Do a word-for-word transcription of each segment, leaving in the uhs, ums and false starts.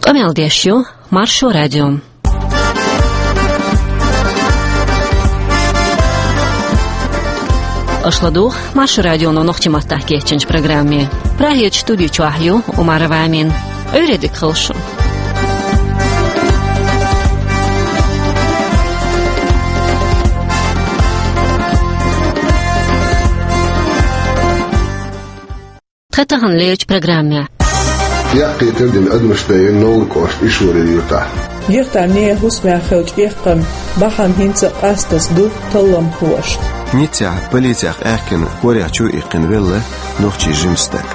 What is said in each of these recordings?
Къамел деш ю Маршо радио. Аша ладугӀу Маршо радионо нохчийн маттахь кечйинчу программе. Прагерчу студи чохь ю Умарова Амина. Ӏуьйре дика хуьлда шун. Тхан тахана лерчу программехь. Яккхий тардина адамаш дайина Новр кӀоштан Ишори юьртахь. Гихтар нехан хӀусамехь хиллачу эккхаман бахьана хӀинца а къастаза ду талламхоша. Ниццехь полицех аьхкина, корехь чу а иккхина велла нохчийн жима стаг.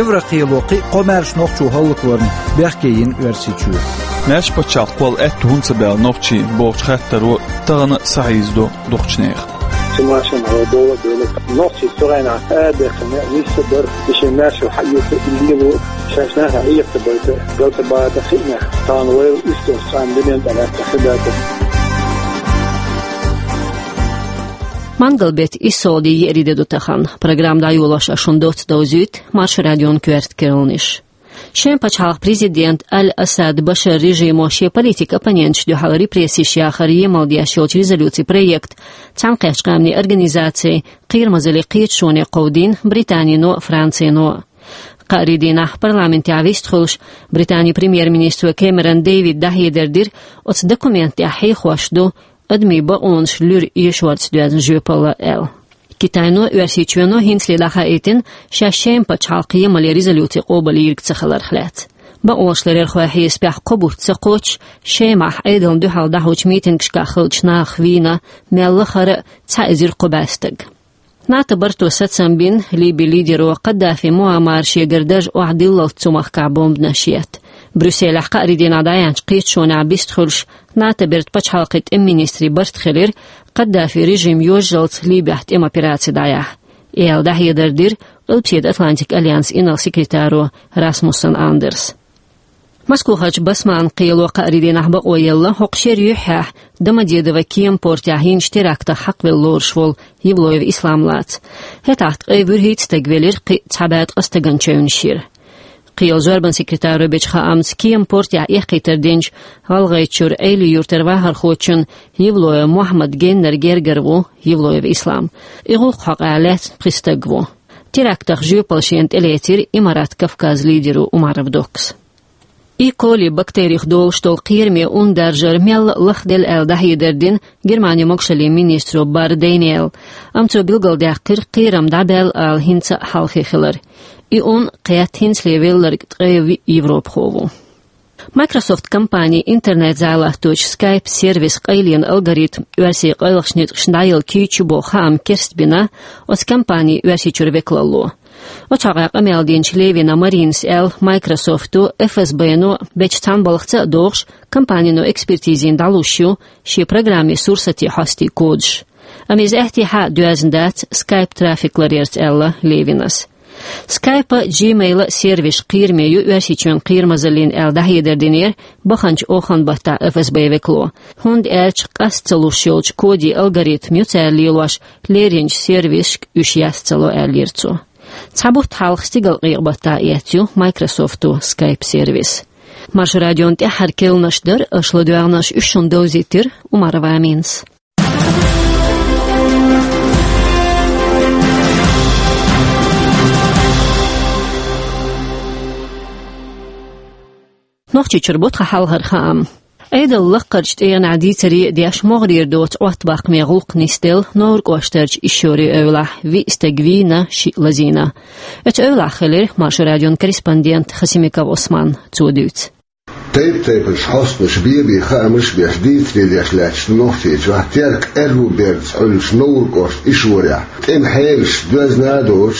Еврокхело кхин а кхо маьрша нохчо хӀаллакварна бехке йина Оьрсийчоь. Маьрша пачхьалкх кхолла аьтто хӀунда ца баьлла нохчийн бохучу хаттаро тахана схьахьийзадо дукхачу нехан. Цу машинахь вай дола а девлла. Нохчий цу хенахь а бехкана нисса бара, и шен маьршалла хьаэца, и лело, шаьш нахана Ӏехатабайта, галтабата хиънехь, тахана вайла уьстагӀчу цхьана дуьнен тӀе лаьтта хи дац. Мангал-беттан исс сов де еарин де ду тахана. Программа дӀайолош ас шуна доцца довзуьйту Маршо радион коьрта керланаш. Шеман пачхьалкхан президент Аль-Асад Башар режимо шен политикан оппоненташна дуьхьал репрессеш яхар емал деш йолчу резолюцин проект Цхьаьнакхеттачу Къаьмнийн Организацин кхерамазаллин кхеташоне кховдийна Британино а, Францино а. Кхаарин дийнахь парламентехь вистхуьлуш, Британин премьер-министро Кэмерон Дэвида дӀахьедар дира, оцу документан тӀехь хьехош ду адамийн бакъонаш луьра эшорца доьзна жоьпалла аьлла. Китайно а, Оьрсийчоьно а хӀинцале дӀахаийтина шаьш Шеман пачхьалкхан емалан резолюци къобалйийриг ца хиларх лаьцна. Бакъонашларъярхойн хьесапехь, кхо бутт ца кхоччуш, Шемахь Ӏедална дуьхьал дӀахьочу митингашкахь хиллачу нахах вийна мел лахара а цхьа эзар кхо бӀе стаг. НАТО барто сацам бина, Ливин лидеро Каддафи Муаммара шегара дарж охьадиллалц цу махкахь бомбанаш етта. Брюсселехь кхаарин дийнахь дӀаяьхьначу кхеташонехь вистхуьлуш, НАТО бертан пачхьалкхийн тӀеман министрийн барт хилира, Каддафин режим йожжалц Ливехь тӀеман операци дӀаяхьа. И аьлла дӀахьедар дира Къилбаседа Атлантикан альянсан инарла секретаро Расмуссен Андерса. Москохарчу Басманан кхело кхаарин дийнахь бакъо елла, хӀокху шеран юьххьехь Домодедово кеман портехь йинчу терактах хьакхавелла лоруш волу Евлоев Ислам лаца. ХӀетахь ткъе вуьрхӀитта стаг велира, кхин а цхьа бӀе ткъа стагана чевнаш йира. Кхелан зорбанан секретаро бечу хаамца, кеман портехь эккхийтар динчу ГӀалгӀайчуьра Ӏелин-Юьртара вахархочунна Евлоев Мухьаммадан геннара гергара ву Евлоев Ислам. И гӀуллакх хьокъехь лаьцна пхи стаг ву. Терактах жоьпалла шена тӀелецира Имарат Кавказ лидеро Умаров Доккас. Е. коли бактерих долуш долу кхераме ун даржар мелла а лахделла аьлла дӀахьедар дина Германин могушаллин министро Барр Дэниела. Амма цо билгалдаьккхира, кхерам дӀабаьлла ала хӀинца а хьалхе хилар. И ун кхетта хӀинцале велларг ткъе виъ европахо ву. Microsoft компанин интернет-зӀе латточу Skype сервисан къайлен алгоритм оьрсийн къайлахчу ницкъашна дӀаяла кийча ю боху хаам керстбина оцу компанин Оьрсийчуьра векалло. Оцу хьокъехь къамел динчу Левина Маринас аьлла, Microsoft-о, ФСБ-но бечу цхьана балхаца а догӀуш, компанино экспертизина дӀалуш ю шен программин сурсатийн хьостийн кодаш. Амма иза аьттехьа а доьзна дац Skype трафик ларъярца, аьлла Левинас. Skype-а, Gmail-а сервисаш кхераме ю Оьрсийчоьнан кхерамазаллина аьлла дӀахьедар динера баханчу оханан баттахь ФСБ-н векало, хӀунда аьлча къаста ца луш йолчу кодийн алгоритм ю цара лелош лерринчу сервисашка уьш яц ца ло, аьллера цо. Цхьа бутт хьалха стигалкъекъа баттахь эцна ю Microsoft-о Skype сервис. Маршо радион тӀаьххьара керланаш дара аша ладоьгӀнарш, уьш шуна довзийтира Умарова Аминас. Нохчийчуьра бу тхан хьалхара хаам. Ӏедалан лаккхарчу тӀегӀанехь дийцаре а деш, могӀарера доцу Ӏоттабаккхаме гӀуллакх нисделла Новр кӀоштарчу Ишшорин эвлахь, виъ стаг вийна, шиъ лазийна. Оцу эвлахь хилира Маршо радион корреспондент Хасимиков Ӏусман, цо дуьйцу. Тайп-тайпанчу хьостанаша бен-бен хаамаш а беш, дийцаре деш лаьтташ ду Нохчийчохь Теркан аьрру бердаца Ӏуьллучу Новр кӀоштан Ишшорехь тӀеман хьелаш доьзна а доцуш,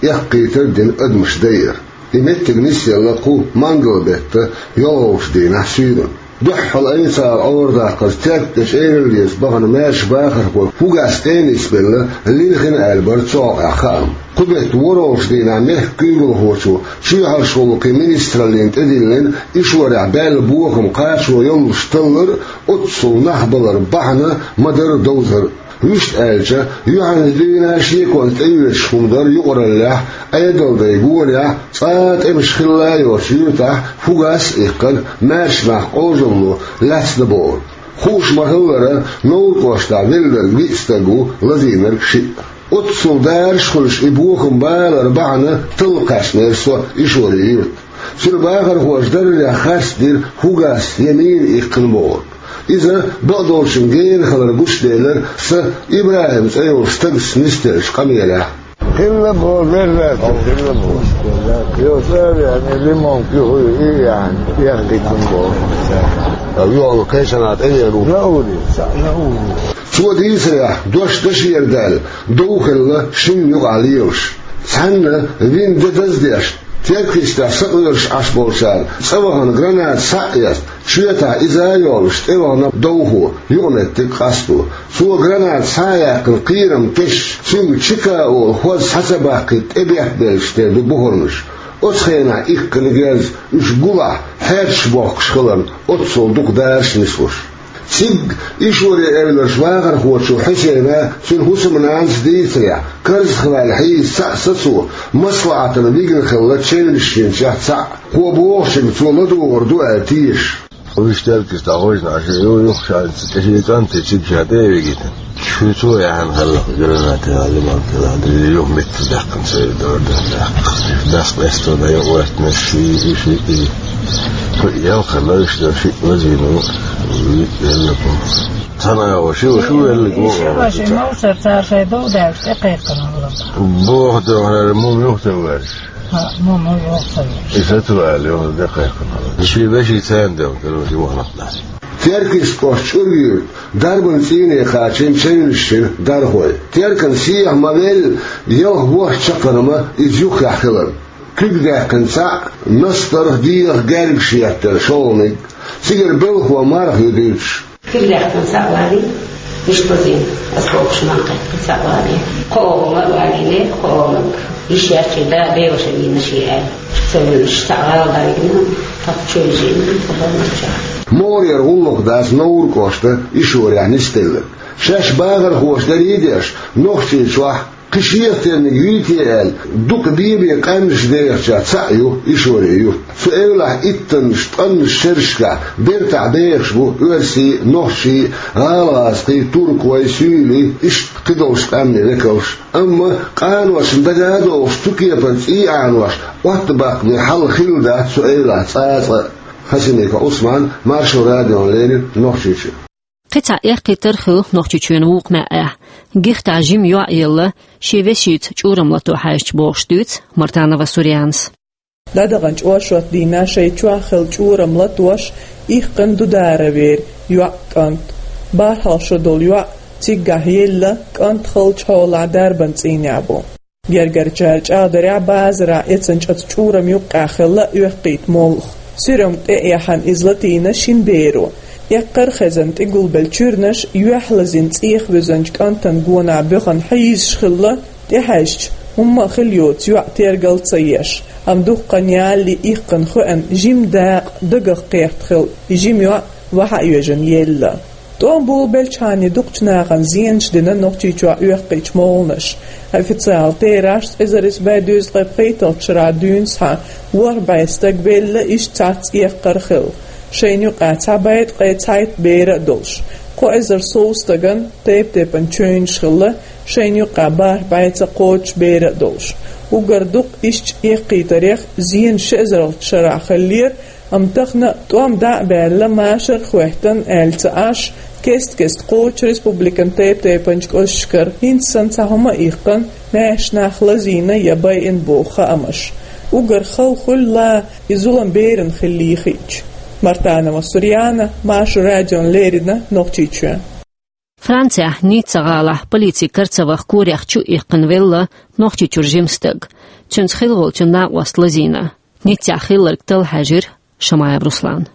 эккхийтар а дина адамаш дайар. И меттиг нисъелла кху мангал-беттан йолхалгӀачу дийнахь суьйранна. Дуьххьал айса ала Ӏорадаккхарца Терк тӀе чӀераллица бахана маьрша бахархой фугас тӀе а нисбелла лилхина аьлла бара цу хьокъехь хаам. Кху беттан ворхӀалгӀачу дийнахь мехкан куьйгалхочо чоьхьарчу гӀуллакхийн министраллина тӀедиллина Ишшорехь баьлла бохам кхачо йоллуш таллар а, оццул нах балар бахьана ма-дарра довзар а. Вуьшта аьлча, юьхьанца дуьйна шеконца тӀеоьцуш хӀума дара юкъараллехь, Ӏедалдайн гонехь, цкъа тӀемаш хилла йоцу юьртахь фугас а иккхина, маьрша нах къожалло лаьцна бохург. Хууш ма-хиллара, Невран кӀоштахь велларг виъ стаг ву, лазийнарг шиъ. Оццул дараш хуьлуш и бохам балар бахьана талла кхаьчнера со Ишори юьрта. Цуьнан бахархоша даррехь харцдира фугас я мина иккхина бохург. Иза бакъдолчун гена хилар гучуделира сан ИбрахӀим цӀе йолчу стагца нисделлачу къамелехь. Хилла боху, берла боху, хилла боху. Йо, цӀа а веана, лимон куьйгӀ а яьхна, яхкийтина боху. Йо, кхечанхьа тӀевеана ву. Наури, са, наури. Цо дийцарехь, дош дашера даьлла, дов хилла шинна юкъахь лелаш. Цхьанна вина де даздеш, Теркйистехь сакъоьруш Ӏаш болчара цӀа вахана граната схьа а эцна, чоьтахь иза а йоллуш, тӀевахана довхо, юкъаметтиг къасто. Цо граната схьа а яьккхина кхерам тесча, цуьнга Чика олу хӀоз схьа ца баккхийта тӀебехбеллачу дерг ду бухарнаш. Оцу хенахь иккхина герз уьш гулахь, хьерчаш бохкуш хиларна, оццул дукха дараш нислуш. Цигга Ишори-Эвларчу вахархочо Хьусейна, цуьнан хӀусамнанас дийцарехь, карзахваьлла хьийза цхьаъ сацо, маслаӀатана вигна хилла чевнаш йинчех цхьаъ, кхо бохучуьнга цо ладугӀур ду аьлла тешаш. Уьш Теркйистехь гӀожна Ӏаш ю, юххехь цӀа тӀе шен кӀанте цига ша тӀе а вигийтина. Шу цо яхьана хилла, граната а, лимон куьйгӀ а, юха меттиг даьккхина церан дора дан даьккха. Дас къесто дан юкъа ваьттинарш, ши, ши, ши, и. Кху ялхара лайш дан шиъ лазийна ву, виъ велларг ву. Цхьана агӀо ши, шу велларг ву. Ши ву, ши мовсар цара шайн дов даьлча тӀекхайкхина хилла. Боху дуьххьара мума юха ца ваьлча. ХӀаъ, мума юха ца ваьлча. И сацавала юха тӀекхайкхина хилла. Шен вешин царна девна хилла, юха нах дац. Теркйист кӀоштан чӀуьргара дарбан цӀийне кхачийна чевнаш йина дархой. Теркан сехьа ма-велла, ялх-ворхӀ чаккхарма иза юххехь хиларна. Куьг даьккхина цхьаъ, настарх, дегӀах герга шеттара шолгӀаниг. Цигара белхо марха ю дуьйцуш. Куьг даьккхина цхьаъ валийна, иштта лазийна, осколкаш мах кхаьчна цхьаъ валийна. Кхо гӀума а валийна, кхо гӀумаг. Йиш яьлча да беваша вийна шен аьлла. Ца вуьллуш цхьаъ гӀала дӀавигна, тӀаккха чу вижийна, тӀаккха бан чохь. МогӀарера гӀуллакх дац Невран кӀоштан Ишорехь нисделларг. Шаьш бахархоша дарий а деш, Нохчийчохь кхин шех терниг юй те аьлла, дукха бен-бен къаьмнаш дехачех цхьаъ ю Ишори-Юрт. Цу эвлахь иттаннаш, ткъаннаш шерашкахь бертахь бехаш бу оьрсий, нохчий, гӀалагӀазкхий, туркой, суьйлий, иштта кхидолчу къаьмнийн векалш. Амма къаношна дага а догӀуш, цу кепара цӀий Ӏанош, Ӏоттабаккхаме хьал хилла дац цу эвлахь цкъа а. Хасимиков Ӏусман, Маршо радиона леррина, Нохчийчоь. Кхин цхьа эккхийтар хилла Нохчийчоьнан вукху маьӀӀехь. Гихтахь жима йоӀ елла, шен вешица чӀурам лато хьаьжча бохуш дуьйцу Мартанова Сурьянас. ДӀадаханчу оршот дийнахь шайн чохь хилла чӀурам латош, иккхина Дударовера йоӀ, кӀант. БархӀалгӀа шо долу йоӀ циггахь елла, кӀант халчу хьолахь дарбан цӀийнехь бу. Гергарчара чӀагӀдарехь, базарахь эцначу оцу чӀурам юккъехь хилла оьккхуьйту молха. Суьрамга тӀе а яьхьна, иза латийна шина беро. Эккхар а хезна, тӀе гулбелла чуьрнаш юьхь лазийна цӀех вуьзначу кӀантан гонах боьхна хьийзаш хилла, тӀехьаьжча, хӀумма а хилла йоцу йоӀ тергал ца еш. Амма дуккха ялале иккхина хиъна жима дакъа дагах кхетта хилла, и жима йоӀ вахьа а йоьжна елла. ТӀом болабелчхьана дукхачу нахана зенаш дина Нохчийчохь оьккхуьйтучу молханаша. Официалан терахьашца, эзар исс бӀе дезткъе пхийтталгӀачу шарахь дуьйна схьа, ворхӀ бӀе стаг велла, иштта цхьацца эккхар а хилла. Шайна юкъахь цхьа бӀе ткъе цхьайтта бер а долуш. Кхо эзар сов стагана тайп-тайпана чевнаш хилла, шайна юкъахь бархӀ бӀе ца кхочуш бер а долуш. Уггар дукха иштта эккхийтарех зенаш ши эзарлагӀчу шарахь хиллера, амма тахана тӀом дӀа а баьлла, машар а хӀоьттина аьлла ца Ӏаш, кест-кеста кхочу республикан тайп-тайпанчу кӀошташкара хӀинца санна цхьа хӀума а иккхина, маьрша нах лазийна я байина боху хаамаш. Уггар хала хуьлу и зулам берана хиллий хиъча. Мартанова Сурьяна, Маршо радиона леррина, Нохчийчоь. Францехь Ницца-гӀалахь полицин кара ца ваха корех чу а иккхина велла Нохчийчуьра жима стаг. Цуьнца хилла волчун накъост лазийна. Ниццехь хилларг талла хьаьжира Шамаев Руслана.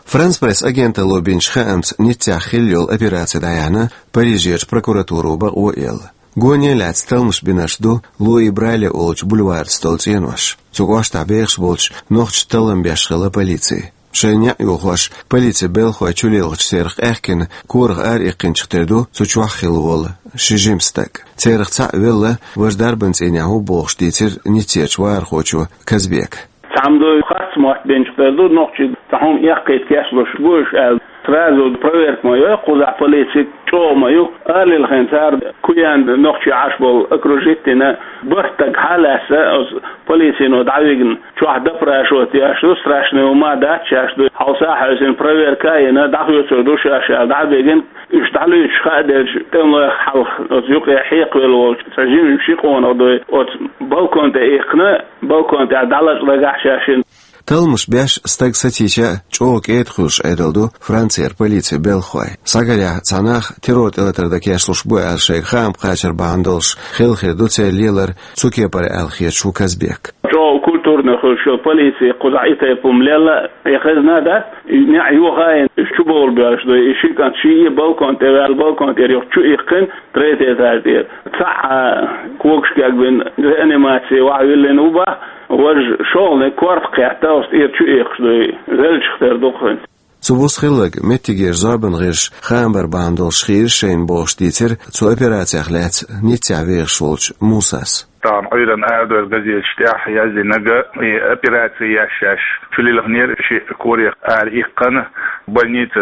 Франс-Пресс агенталло бинчу хаамца, Ниццехь хилла йолу операци дӀаяьхьна, Парижерчу прокуратуро бакъо а елла. Гоне а лаьцна талламаш бинарш ду Луи Брайле олучу бульварца долу цӀенош. Цу кӀоштахь бехаш болчу нохчашца таллам беш хилла полици. Шайн яа йохош, полицин белхой чулелхачу церах къаьхкина, корах ара иккхинчух тера ду цу чохь хилла волу ши жима стаг. Церах цхьаъ велла, важа дарбан цӀийнехь ву бохуш дийцира Ниццерчу вахархочо Казбека. Цхьаммо дуй харц мотт бинчух тера ду, нохчий цхьа хӀума эккхийта кечлуш бу уьш аьлла. Сразу проверка ма йой кхузахь полици, чӀогӀа ма ю. Арлилхина цара куьйган нохчий Ӏаш болу окружить дина, бархӀ стаг хьалаьцна, оцу полицино дӀавигна, чохь допрашивать еш ду, страшный хӀума дац шаьш ду, хьовса хьаьвсина проверка а йина, дӀахоьцур ду шаьш аьлла дӀабигина, уьш дӀалуьйчуш хаа делча, тӀемалойх хьалха оцу юкъе хьекхавелла волчу цхьа жимма ши къонах дуй, оцу балкон тӀе иккхина, балкон тӀехь дӀалачкъа дагахь шаьшшинна. Талламаш беш стаг сацийча а чӀогӀа кӀеда хуьлуш Ӏедал ду Францера полицин белхахой. Схьагарехь цхьа нах террор тӀелатар дан кечлуш бу аьлла шайга хаам кхачар бахьана долуш хилла хир ду церан лелар цу кепара аьлла хеташ ву Казбек. ЧӀогӀа культурно хуьлуш йолу полици кхузахь и тайпа хӀума лелла, и хезна дац, и неӀ йохайна, уьш чу бовла боьлуш ду, и ши кӀант ший а балкон тӀе ваьлла, балкон тӀера юха чу иккхина, третий этаж тӀера. Цхьаъ когаш кегбина, реанимаци вахьа виллина ву бах, важа шолгӀаниг корта кхетта, оцу тӀера чу иккхаш дуй, веллачух тера ду хӀинца. Цу буса хилларг меттигера зорбан гӀирсаша хаам бар бахьана долуш хийра шайна бохуш дийцира цу операцех лаьцна Ниццехь вехаш волчу Мусас. Тахана Ӏуьйранна арадойла газеташ тӀехь яздинарг, и операци еш шаьш чулилхинера ши корах ара иккхина, больница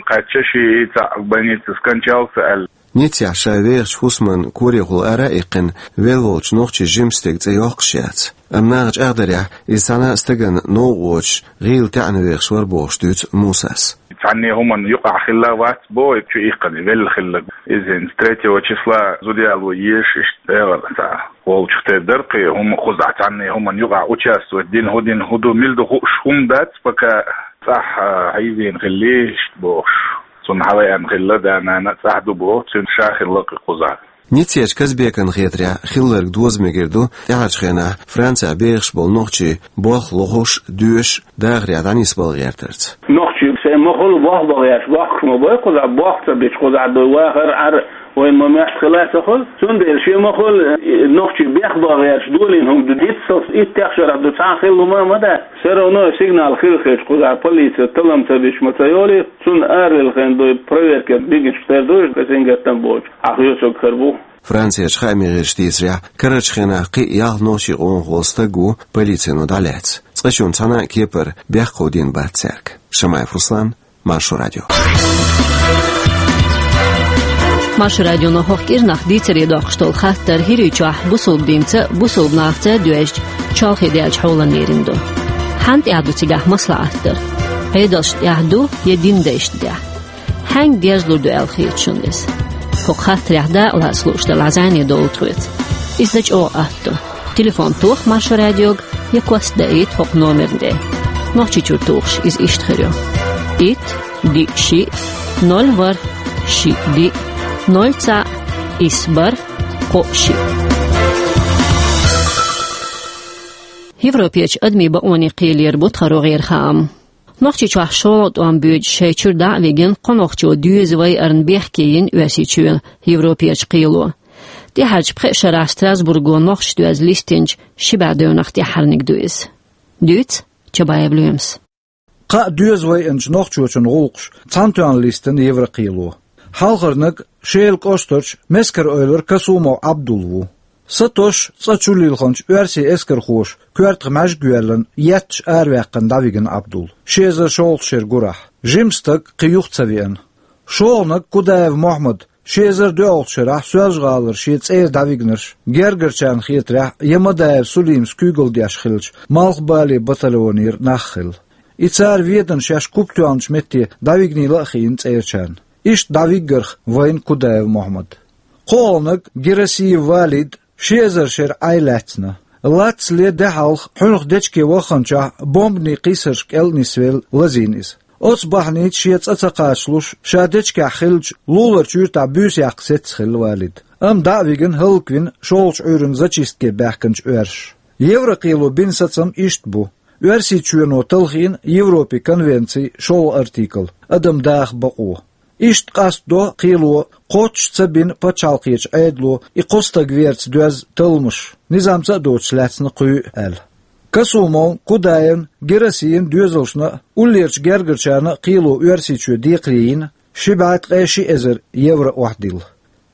кхаьчча, ши цхьаъ больница скончался аьлла. Ниццехь ша вехачу хӀусаман корехула ара а иккхина, велла волчу нохчийн жима стеган цӀе йоккхуш яц. Амма наха чӀагӀдарехь, иза цхьана а стагана новкъа воцуш, гӀийла таьӀна вехаш вара бохуш дуьйцу Мусас. Цхьанне хӀуманна юкъахь хилла вац боху и чу иккхина, велла хилларг. Иза хӀинца третьего числа зуда яло езаш иштта дегӀана цхьа волчух тера дара, кхин хӀума кхузахь цхьанне хӀуманна юкъахь участвовать дина, хӀун дина, хӀун ду, мила ду хууш хӀума дац, пока цӀахь хьийзийна хилла иштта бохуш. Цунна хьалаеана хилла да-нана а, цӀахь ду боху, цуьнан ша хилла кхин кхузахь. Ниццерчу Казбекана хетарехь, хилларг доза мегар ду тӀаьхьарчу хенахь Францехь бехаш болу нохчий болх лохуш, доьшуш, дахарехь дӀанисбала гӀертарца. Нохчий сайн ма хуьлу болх бан гӀерташ, бохкуш ма бой кхузахь, болх ца бича кхузахь дуй вахар, Ӏар, вайн ма моьтту хила а ца хуьлу. Цундела шен ма хуьлу, э, нохчий бехбан гӀерташ долийна хӀума ду, диццалц иттех шарахь ду, цхьа а хилла хӀума а ма дац. Все равно сигнал хила хилча кхузахь полице таллам ца бича ма ца йолийта. Цунна аралилхина дуй, проверка бигинчух тера ду, касингаттам боцуш, хьан хоьцург хир бу. Францерчу хаамийн гӀирсаша дийцарехь, карарчу хенахь кхин а ялх нохчийн къонахволу стаг ву полицино дӀалаьцна. Цкъачунна цхьана а кепара бехк кховдийна бац цаьрга. Шамаев Руслан, Маршо Радио. Маршо Радионо хӀокху кӀирнах дийцаре доккхуш долу хаттар ХӀирийчохь бусалба динца а, бусалба нахаца а доьжча, чолхе даьллачу хьоланна лерина ду. Хьанна тӀехь ду цигахь маслаӀат дар? Ӏедалшна тӀехь ду я динан дайшна тӀехь? Хьаьнга дерзалур ду аьлла хета шуна иза? ХӀокху хаттарехь дакъалаца лууш делахь, зӀене довла тхоьца. Иза дан чӀогӀа атта ду. Телефон тоха Маршо Радиога я кост даийта хӀокху номерна тӀе. Нохчийчуьра тухуш иза иштта хир ю: итт, диъ, шиъ, ноль, ворхӀ, шиъ, диъ, ноль, цхьаъ, исс, бархӀ, кхоъ, шиъ. Европерчу адамийн бакъонийн кхелера бу тхан рогӀера хаам. Нохчийчохь шолгӀа тӀом боьдуш шайн чуьра дӀа а вигина, кхо нохчо доьза вайарна бехке йина Оьрсийчоьнан Европерчу кхело. ТӀаьхьарчу пхеа шарахь Страсбурго нохчашна доьзна листинчу ши бӀе девнах тӀаьххьарниг ду иза. Дуьйцу Чабаев Лоьмас. Кхаа доьза вайинчу нохчочун гӀуллакхаш цхьана тоьхна листина Еврокхело. Хьалхарниг Шелан кӀоштарчу Мескар-Эвлара Касумов Ӏабдул ву. Сатосуш цӀа чулилхинчу оьрсийн эскархоша коьртах маьждиг йоьллина, етташ араваьккхина дӀавигина Ӏабдул. Ши эзар шолгӀачу шеран гурахь. Жима стаг кхин юха ца веана. ШолгӀаниг Кудаев Мохьмад, ши эзар доьалгӀачу шарахь Соьлжа-ГӀалара шен цӀера дӀавигнарш, гергарчарна хетарехь, Ямадаев Сулимас куьйгалла деш хиллачу Малхбален батальонера нах хилла. И цара ведана шаьш куп тоьхначу метте дӀавигнийла а хиъна цӀерачарна. Иштта дӀавиггарх вайна Кудаев Мохьмад. КхоалгӀаниг Герасиев Валид ши эзар шеран Ӏай лаьцна. Лацле де хьалха хьуьнах дечке вахханчохь бомбанийн кхийсарш кӀел а нисвелла лазийна иза. Оцу бахьаница шен цӀа ца кхачалуш, ша дечкехь хиллачу луларчу юьртахь буьйса яккха сецна хилла Валид. Амма дӀа а вигина, хӀаллаквина шолгӀачу Ӏуьйранна зачистке баьхкинчу оьрсаша. Еврокхело бина сацам иштта бу. Оьрсийчоьно талхийна Европин конвенцин шолгӀа артикл, адам даха бакъо. Иштта къастадо кхело кхоччуш ца бина пачхьалкхечу Ӏедало и кхо стаг верца доьзна талламаш, низамца а доцуш лаьцна кхуьйга аьлла. Касумовн, Кудаевн, Герасиевн доьзалшна а, уллерчу гергарчарна а кхело Оьрсийчоь декхаре йина, ши бӀе ткъе ши эзар евро охьадилла.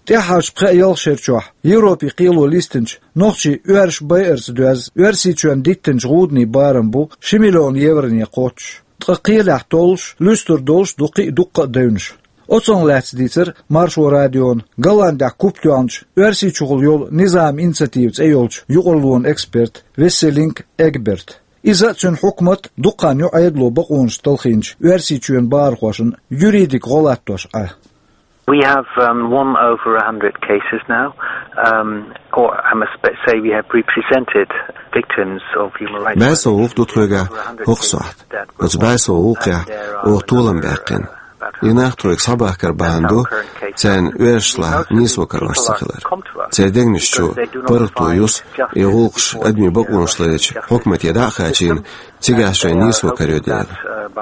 ТӀаьххьарчу пхеа-ялх шера чохь Европе кхело листинчу нохчийн оьрсаша байарца доьзна Оьрсийчоьнна диттинчу гӀуданийн барам бу ши миллион евроне кхоччуш. Ткъа кхелехь толлуш, луьстур долуш ду кхин а дуккха а девнаш. Оцунах лаьцна дийцира Маршо радиона Голландехь куп тоьхначу, Оьрсийчухула йолу «Низам» инициатива цӀе йолчу юкъарлонан эксперта Весселинг Эгберта. Иза а, цуьнан хьукмат а дукха хан ю Ӏедало бакъонаш талхийначу Оьрсийчоьнан бахархошна юридика гӀо латтош Ӏа. We have, um, one over a hundred cases now, um, or I must be-, say we have represented victims of human rights violations. БӀе сов гӀуллакх ду тхоьгахь хӀокху сохьта. Оцу бӀе сов гӀуллакхехь оха толам баьккхина. И нах тхоьга схьабахкар бахьана ду царна оьрсашлахь нийсо карош ца хилар. Церан дегнаш чу паргӀато юсу и гӀуллакхаш адамийн бакъонаш ларъечу хьукмате дӀа а хачийна, цигахь шайн нийсо карайо дела.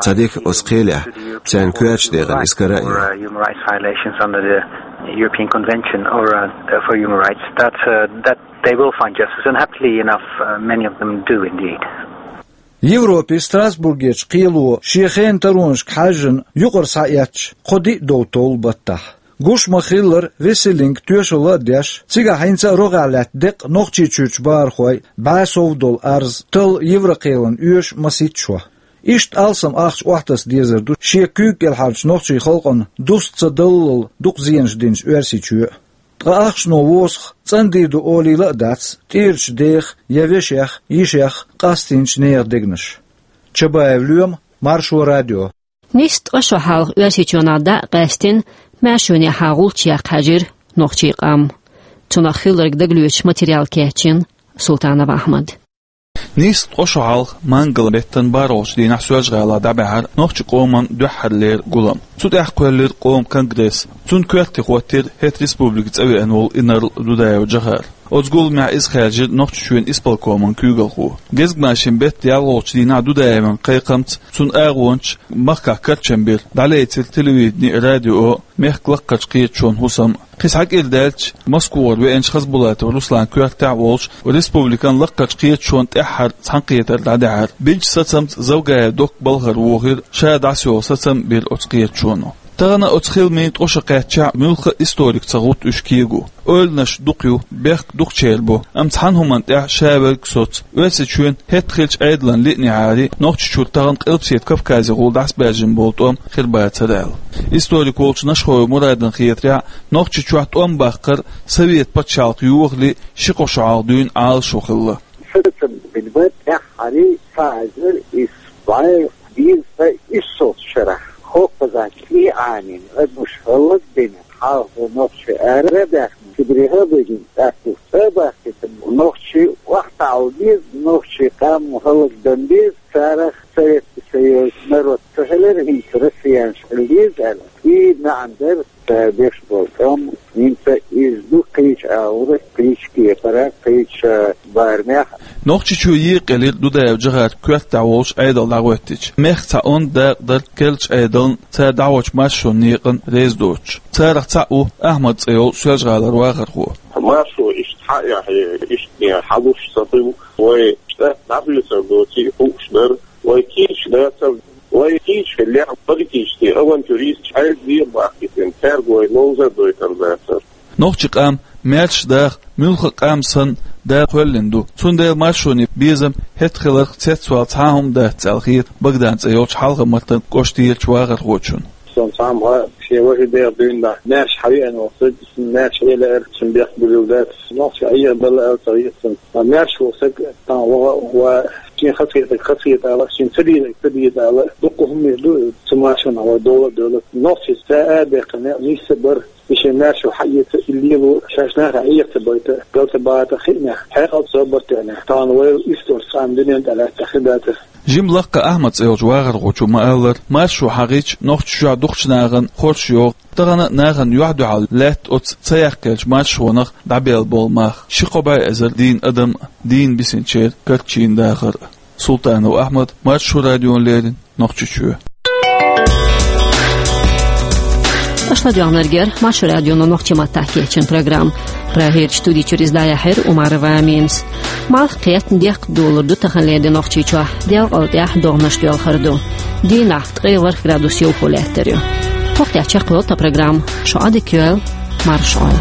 Цхьа дика оцу кхелехь царна коьртачу декъана иза кара а йо. Human rights violations under the European Convention or, uh, for human rights, that, uh, that they will find justice, and happily enough, uh, many of them do indeed. Европе Страсбургерчу кхело шен хенан таронашка хьаьжжина юкъара схьаэцча, кхо-диъ дов толлу баттахь. Гуш ма-хиллара, Весселинг тоьшалла а деш, цигахь хӀинца а рогӀехь лаьтта деккъа Нохчийчуьрчу бахархойн бӀе сов долу арз талла Еврокхелана оьшу масийтта шо. Иштта алсам ахча охьатаса дезар ду шен куьйга кӀелхьарчу нохчийн халкъана дуста ца даллал дукха зенаш динчу Оьрсийчоь а. Ткъа ахчано восах цӀандийр ду олийла а дац тӀерачу дех я вешех, йишех къастийначу нехан дегнаш. Чабаев Лоьма, Маршо радио. Нийсса ткъа шо хьалха Оьрсийчоьнах дӀа а къаьстина, маьршонехьа гӀулч яккха хьаьжира нохчийн къам. Цунах хилларг дагалоьцуш материал кечйина Султанов Ахьмада. Нийсса ткъа шо хьалха, мангал-беттан бархӀолгӀачу дийнахь, Соьлжа-ГӀалахь дӀабаьхьира нохчийн къоман дуьххьарлера гулам. Цу тӀехь кхоьллира къоман конгресс. Цунна коьрте хӀоттийра хӀетта республика цӀа веана волу инарла Дудаев Джохар. Оцу гуламехь иза хаьржира Нохчийчоьнан исполкоман куьйгалхо. Гезгмашин беттан ялхолгӀачу дийнахь Дудаевн кхайкхамца, цуьнан агӀончаш махкахь карчам бира, дӀалецира телевидени а, радио а, мехкан лакхарчу кхеташонан хӀусам а. Кхин схьа кӀира даьлча, Москвара веанчу Хасбулатов Русланан коьртехь а волуш, республикан лакхарчу кхеташонан тӀаьххьара цхьаьнакхетар дӀадаьхьира. Бинчу сацамца Завгаев Докка балхара вохийра, ша дӀасайолу сацам а бира оцу кхеташоно. Тахана оцу хиламийн ткъа шо кхаьччахь, муьлхха а историкаша ца хӀутту уьш кего. Ойланаш дукха ю, бехк дукхачеран бу, амма цхьана хӀуманна тӀехь ша верг соцу: Оьрсийчоьнан хӀетахь хиллачу Ӏедалан лиънехьара Нохчийчуьра тахана Къилбаседа Кавказехула дӀасабаьржина болу тӀом хир бацара аьлла. Историк волчу Нашхоев Мурадна хетарехь, Нохчийчохь тӀом баккхар Совет пачхьалкх йохале ши-кхо шо хьалха дуьйна Ӏалашо хилла. Сацам бина бара тӀаьххьара цхьа эзар исс бӀе дезткъе иссалгӀачу шарахь, хӀокхузахь кӀий Ӏанийна, адамаш хӀаллакбина, хьалха нохчий арадаьхна, Сибрех а бигина, тӀаккха цӀа а бахкийтина, нохчий охьатаӀал беза, нохчийн къам хӀаллакдан беза, царах Советский Союзан народ ца хилира, хӀинца россиянаш хила деза аьлла. И маьӀна дара. Ша беш болу тӀом, хӀинца иза ду кхечу агӀора, кхечу кепара, кхечу барамехь. Нохчийчоь екъаелира Дудаев Джохаран коьртехь волуш Ӏедал дӀахӀоьттича. Мехкан цхьа онда дакъа дара керлачу Ӏедална, цара дӀахьочу маршонан некъана реза доцуш. Царах цхьаъ ву Ахьмад цӀе йолу Соьлжа-ГӀалара вахархо. Маршо иштта схьа а яхье, иштта хьалуш ца хуьлу, вай штат дӀахоьцур доций хууш дара. Вай кийча дацара, вай кийча хиллехь, политический авантюристаш Ӏедале а бахкийтина, цаьрга вай ловза а дойтур дацара. Нохчийн къам маьрша даха, муьлхха а къам санна, Дала кхоьллина ду. Цундела маршонан безам хӀетахь хиларх цецвала цхьа а хӀума дац аьлла хета Богдан цӀе йолчу Хьалха-Мартан кӀоштан ерачу вахархочунна. Сан цхьамма шен важа дегӀ дуьйна нах маьрша хьавеана волу стаг, цунна маьрша хьелаара, цунна бехк буьллур дац. Нохчий Ӏехадала аьлла ца хета цунна. Ткъа маьрша волу стаг тахана ваха а, ва шен хазахетарг хазахета ала, шен ца дезарг ца деза ала, дуккха хӀуманаш ду цу маршонах вай дола а доьлла. Нохчий цӀа а баьккхина, нийсса а бара, и шен маьршо хьаэца, и лело, шаьш нахе Ӏеха ца байта, гал ца бата хиънехь, хьекъал ца барт тӀехь. Тахана вай историкаша цхьана дуьнен тӀе лаьттахь хир дацара. Жимма лакха Ахьмад цӀе йолчу вахархочо ма-аллара, маршо хьахийча, Нохчийчохь дукхачу нахана хорша йогӀу. Тахана нахана юьхь-дуьхьал лаьтта оцу ца яккхаеллачу маршонах дӀабелла болу мах. Ши-кхо бӀе эзар дийна адам а, дийна бисинчеран карчийна дахар а. Султанов Ахьмад, Маршо радиона леррина, Нохчийчоь. Аша ладоьгӀнарг яра Маршо радион нохчийн маттахь кечйина программа. Прагерчу студи чуьра иза дӀаяьхьира Умарова Аминас. Малх кхетта декхар долур ду таханлера де Нохчийчохь, делкъал тӀехь догӀанаш доьлхур ду. Дийнахь ткъе ворхӀ градус йовхо лаьттар ю. ХӀокху тӀехь чекхйолу тхан программа. Шу Ӏадика йойла, марша Ӏойла.